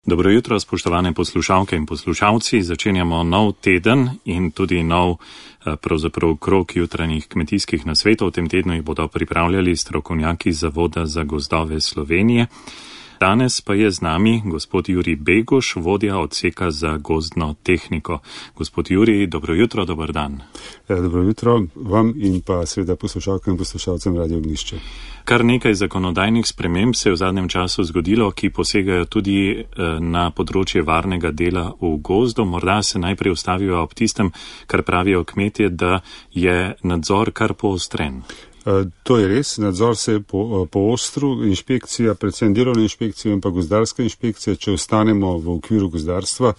Dobro jutro, spoštovane poslušalke in poslušalci. Začenjamo nov teden in tudi nov pravzaprav krog jutranjih kmetijskih nasvetov. V tem tednu jih bodo pripravljali strokovnjaki Zavoda za gozdove Slovenije. Danes pa je z nami gospod Jurij Beguš, vodja odseka za gozdno tehniko. Gospod Jurij, dobro jutro, dober dan. Dobro jutro vam in pa seveda poslušalkam in poslušalcem Radio Ognjišče. Kar nekaj zakonodajnih sprememb se je v zadnjem času zgodilo, ki posegajo tudi na področje varnega dela v gozdu. Morda se najprej ustavijo ob tistem, kar pravijo kmetje, da je nadzor kar poostren. To je res, nadzor se je poostru, inšpekcija, predvsem delovna inšpekcija in pa gozdarska inšpekcija, če ostanemo v okviru gozdarstva,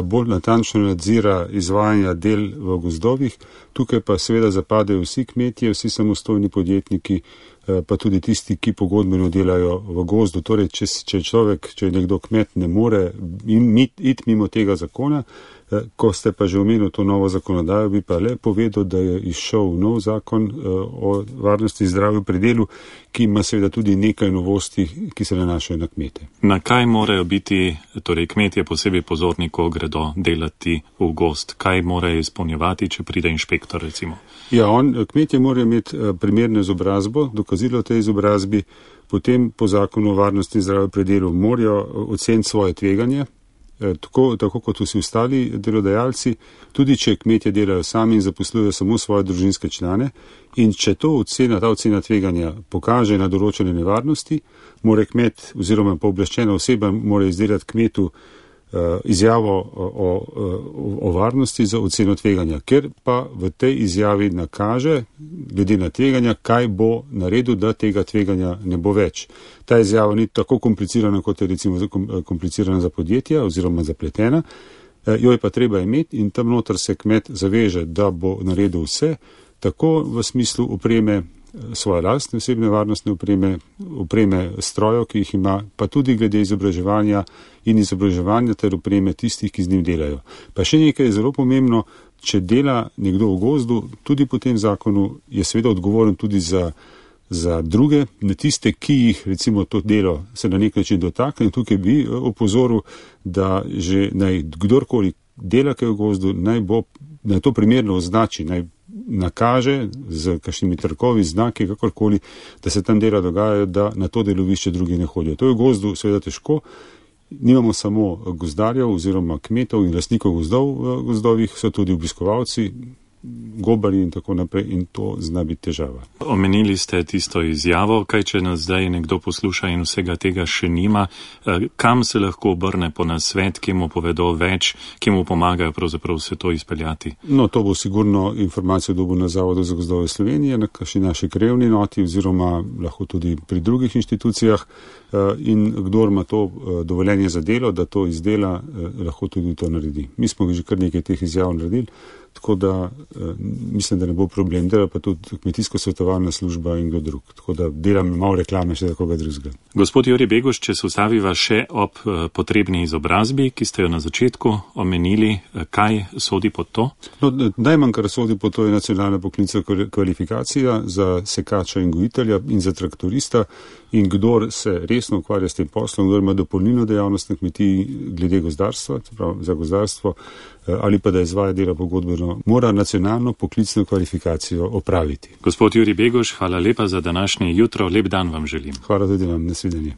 bolj natančno nadzira izvajanja del v gozdovih. Tukaj pa seveda zapadejo vsi kmetje, vsi samostojni podjetniki, pa tudi tisti, ki pogodbeno delajo v gozdu. Torej, če nekdo kmet ne more iti mimo tega zakona, ko ste pa že omenili to novo zakonodajo, bi pa le povedal, da je izšel nov zakon o varnosti in zdravju pri delu, ki ima seveda tudi nekaj novosti, ki se nanašajo na kmete. Na kaj morajo biti torej kmetje posebej pozorni, ko gredo delati v gozd? Kaj morajo izpolnjevati, če pride inšpektor recimo? Ja, kmetje morajo imeti primerno izobrazbo, dokazilo tej izobrazbi, potem po zakonu o varnosti in zdravju pri delu morajo oceniti svoje tveganje, tako kot vsi ostali delodajalci, tudi če kmetje delajo sami in zaposlujejo samo svoje družinske člane, in če ta ocena tveganja pokaže na določene nevarnosti, mora kmet oziroma pooblaščena oseba mora izdelati kmetu izjavo o varnosti za oceno tveganja, ker pa v tej izjavi nakaže, glede na tveganja, kaj bo naredil, da tega tveganja ne bo več. Ta izjava ni tako komplicirana, kot je recimo komplicirana za podjetja oziroma zapletena, jo je pa treba imeti in tam noter se kmet zaveže, da bo naredil vse, tako v smislu opreme, svoje lastne osebne varnostne opreme strojev, ki jih ima, pa tudi glede izobraževanja ter opreme tistih, ki z njim delajo. Pa še nekaj je zelo pomembno, če dela nekdo v gozdu, tudi po tem zakonu je seveda odgovoren tudi za druge, na tiste, ki jih recimo to delo se na nek način dotakne. Tukaj bi opozoril, da že naj kdorkoli dela kaj v gozdu, naj to primerno označi, naj nakaže z kakšnimi trkovi, znaki, kakorkoli, da se tam dela dogajajo, da na to delovišče drugi ne hodijo. To je v gozdu seveda težko. Nimamo samo gozdarjev oziroma kmetov in lastnikov gozdov v gozdovih, so tudi obiskovalci, gobari in tako naprej, in to zna biti težava. Omenili ste tisto izjavo, kaj če nas zdaj nekdo posluša in vsega tega še nima, kam se lahko obrne po nasvet, ki mu povedo več, ki mu pomagajo pravzaprav vse to izpeljati? No, to bo sigurno informacijo dobil na Zavodu za gozdove Slovenije, na kakšni naši krajevni noti oziroma lahko tudi pri drugih inštitucijah, in kdor ima to dovoljenje za delo, da to izdela, lahko tudi to naredi. Mi smo že kar nekaj teh izjav naredili, tako da mislim, da ne bo problem. Dela pa tudi kmetijsko-svetovalna služba in kdo drug. Tako da delam malo reklame še za koga drugega. Gospod Jurij Beguš, če se ustaviva še ob potrebni izobrazbi, ki ste jo na začetku omenili, kaj sodi pod to? No, najmanj, kar sodi pod to, je nacionalna poklicna kvalifikacija za sekača in gojitelja in za traktorista, in kdor se resno ukvarja s tem poslom, kdor ima dopolnilno dejavnost na kmetiji glede gozdarstva, za gozdarstvo, ali pa da izvaja dela pogodbeno, mora nacionalno poklicno kvalifikacijo opraviti. Gospod Jurij Beguš, hvala lepa za današnje jutro, lep dan vam želim. Hvala tudi vam, nasvidenje.